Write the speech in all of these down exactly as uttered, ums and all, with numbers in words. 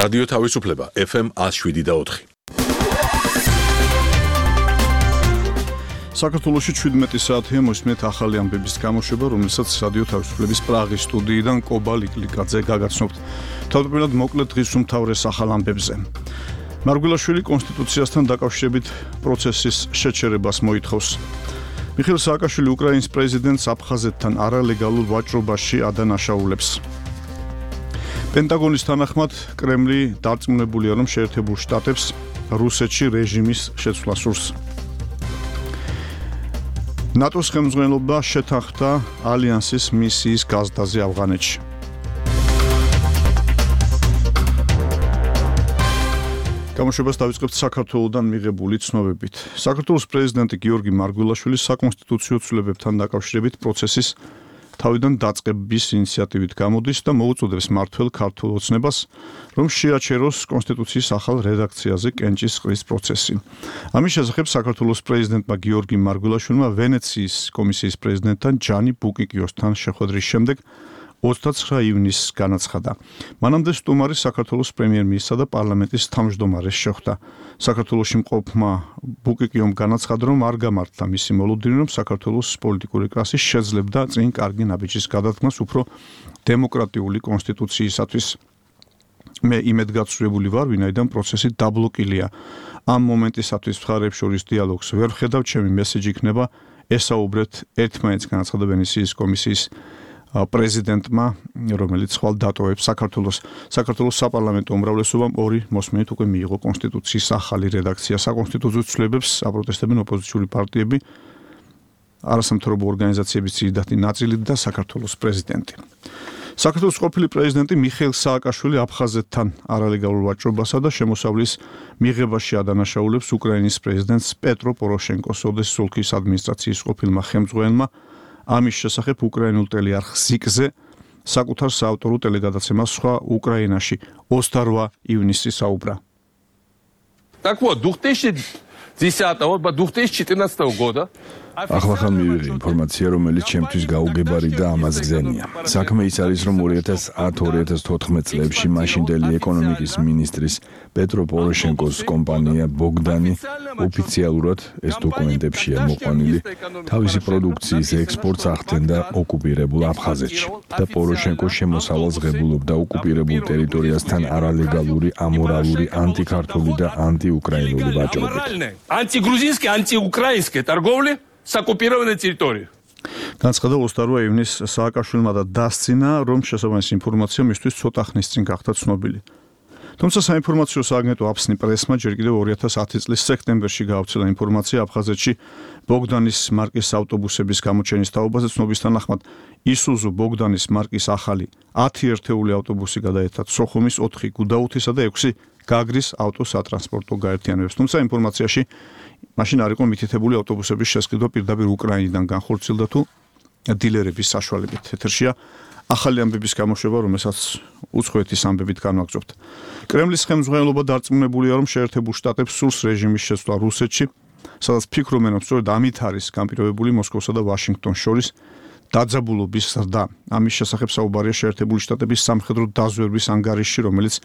რადიო თავისუფლება ეფ ემ ათს შვიდი და ოთხი. საქართველოში ჩვიდმეტი საათია მოსმენთ ახალი ამბების გამოშვება, რომელსაც რადიო თავისუფლების პრაღის სტუდიიდან კობა ლიკლიკაძე გაგაცნობთ. თავდაპირველად მოკლედ დღის უმთავრეს ახალ ამბებზე. მარგველაშვილი კონსტიტუციასთან დაკავშირებით პროცესის შეჩერებას მოითხოვს. მიხეილ სააკაშვილი უკრაინის პრეზიდენტს აფხაზეთთან არალეგალურ ვაჭრობაში ადანაშაულებს. პენტაგონის თანახმად კრემლი დარწმუნებულია, რომ შეერთებულ შტატებს რუსეთში რეჟიმის შეცვლა სურს. ნატოს ხელმძღვანელობა შეთანხმდა ალიანსის მისიის გაზდაზე ავღანეთში. გამოშვებას დავიწყებთ საქართველოსდან მიღებული ცნობებით. საქართველოს პრეზიდენტი გიორგი მარგველაშვილი საკონსტიტუციო ცვლილებებთან დაკავშირებით პროცესის თავიდან დაწყების ინიციატივით გამოდის და მოუწოდებს მმართველ ქართულ ოცნებას, რომ შეაჩეროს კონსტიტუციის ახალ რედაქციაზე კენჭის ყრის პროცესი. ამის შესახებ საქართველოს პრეზიდენტმა გიორგი მარგველაშვილმა ვენეციის კომისიის პრეზიდენტთან ჯანი ბუკიკიოსთან შეხვედრის შემდეგ ოცდაცხრა ივნისს განაცხადა. მანამდე სტუმარი საქართველოს პრემიერ-მინისტრსა და პარლამენტის თავმჯდომარეს შეხვდა. საქართველოში მყოფმა ბუკიკიომ განაცხადა, რომ არ გამართლა მისი მოლოდინი, რომ საქართველოს პოლიტიკური კლასი შეძლებდა წინ კარგი ნაბიჯის გადადგმას უფრო დემოკრატიული კონსტიტუციისათვის. მე იმედგაცრუებული ვარ, ვინაიდან პროცესი დაბლოკილია. ამ მომენტისათვის მხარეებს შორის დიალოგს ვერ ვხედავ, ჩემი მესიჯი იქნება ესაუბრეთ ერთმანეთს, განაცხადა ვენეციის კომისიის პრეზიდენტმა, რომელიც ხვალ დატოვებს საქართველოს. საქართველოს საპარლამენტო უმრავლესობამ ორი მოსმენით უკვე მიიღო კონსტიტუციის ახალი რედაქცია. საკონსტიტუციო ცვლილებებს აპროტესტებენ ოპოზიციური პარტიები, არასამთავრობო ორგანიზაციების ძირითადი ნაწილი და საქართველოს პრეზიდენტი. საქართველოს ყოფილი პრეზიდენტი მიხეილ სააკაშვილი აფხაზეთთან არალეგალურ ვაჭრობასა და შემოსავლის მიღებაში ადანაშაულებს უკრაინის პრეზიდენტს პეტრო პოროშენკოს, ოდესის ოლქის ადმინისტრაციის ყოფილმა ხელმძღვანელმა ამის შესახებ უკრაინულ ტელეარხ ზიკზე საკუთარ საავტორო ტელეგადაცემას სხვა უკრაინაში ოცდაორ ივნისში საუბრა. Так вот, две тысячи десятого по две тысячи четырнадцатого года ახლა მივიღე ინფორმაცია, რომელიც ჩემთვის გაუგებარი და ამაზგზენია. საქმე ის არის, რომ ორი ათას ათი ორი ათას თოთხმეტ წლებში მაშინდელი ეკონომიკის მინისტრის პეტრო პოროშენკოს კომპანია ბოგდანი ოფიციალურად ეს დოკუმენტებშია მოყვანილი თავისი პროდუქციის ექსპორტს ახდენდა ოკუპირებულ აფხაზეთში და პოროშენკო შემოსავალს ღებულობდა ოკუპირებულ ტერიტორიასთან არალეგალური, ამორალური, ანტიქართული და ანტიუკრაინული ვაჭრობით. Антигрузинские, антиукраинские торговли с оккупированной территорией. განაცხადა ოცდაორ ივნისს სააკაშვილმა და დასცინა, რომ შესაბამისი ინფორმაცია მისთვის ცოტა ხნის წინ გახდა ცნობილი. თუმცა საინფორმაციო სააგენტო აფსნი პრესმა ჯერ კიდევ ორი ათას ათი წლის სექტემბერში გაავრცელა ინფორმაცია აფხაზეთში ბოგდანის მარკის ავტობუსების გამოჩენის თაობაზე. ცნობის თანახმად ისუზუ ბოგდანის მარკის ახალი ათი ერთეული ავტობუსი გადაეცა სოხუმის, ოთხი გუდაუთისა და ექვსი გაგრის ავტოსატრანსპორტო გაერთიანებებს. თუმცა ინფორმაციაში მაშინ არ იყო მითითებული ავტობუსების შესყიდვა პირდაპირ უკრაინიდან განხორციელდა თუ დილერების საშუალებით. ეთერშია ახალი ამბების გამოშვება, რომელსაც უცხოეთის ამბებით განვაგრძობთ. კრემლის ხელმძღვანელობა დარწმუნებულია, რომ შეერთებულ შტატებს სურს რეჟიმის შეცვლა რუსეთში, სადაც ფიქრობენ, რომ სწორედ ამით არის განპირობებული მოსკოვსა და ვაშინგტონს შორის დაძაბულობის ზრდა. ამის შესახებ საუბარია შეერთებული შტატების სამხედრო დაზვერვის ანგარიშში, რომელიც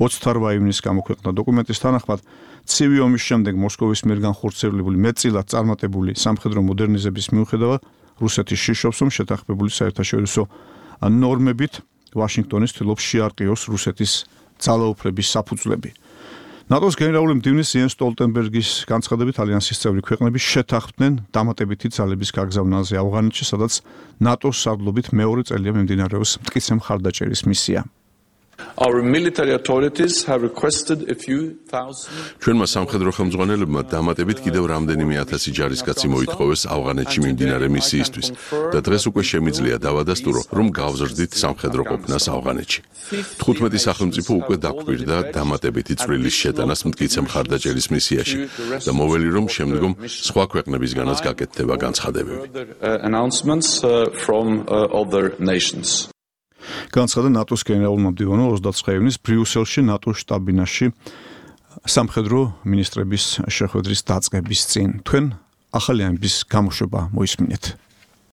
ოცდაორ ივნისს გამოქვეყნდა. დოკუმენტის თანახმად, ცივი ომის შემდეგ მოსკოვის მიერ განხორციელებული მეტწილად წარმატებული სამხედრო მოდერნიზების მიუხედავად რუსეთი შიშობს, რომ შეთანხმებული საერთაშორისო ნორმებით ვაშინგტონი ცდილობს შეარყიოს რუსეთის ძალაუფლების საფუძვლები. ნატოს გენერალური მდივნის იენს სტოლტენბერგის განცხადებით ალიანსის წევრი ქვეყნები შეთანხმდნენ დამატებითი ძალების გაგზავნაზე ავღანეთში, სადაც ნატოს სარდლობით მეორე წელია მიმდინარეობს მტკიცე მხარდაჭერის მისია. Our military authorities have requested a few thousand ჩვენმა სამხედრო ხელმძღვანელებმა დამატებით კიდევ რამდენიმე ათასი ჯარისკაცი მოითხოვეს ავღანეთში მიმდინარე მისიისთვის და დღეს უკვე შემიძლია დავადასტურო, რომ გავზრდით სამხედრო ყოფნას ავღანეთში. თხუთმეტი სახელმწიფო უკვე დაგვირდა დამატებითი წვლილის შეტანას მტკიცე მხარდაჭერის მისიაში და მოვლი რომ შემდგომ სხვა ქვეყნებისგანაც გაკეთდება განცხადებები. announcements from other nations. განაცხადა ნატოს გენერალურმა მდივანმა ოცდაცხრა ივნისს ბრიუსელში ნატოს შტაბ-ბინაში სამხედრო მინისტრების შეხვედრის დაწყების წინ. თქვენ ახალი ამბის გამოშვება მოისმინეთ.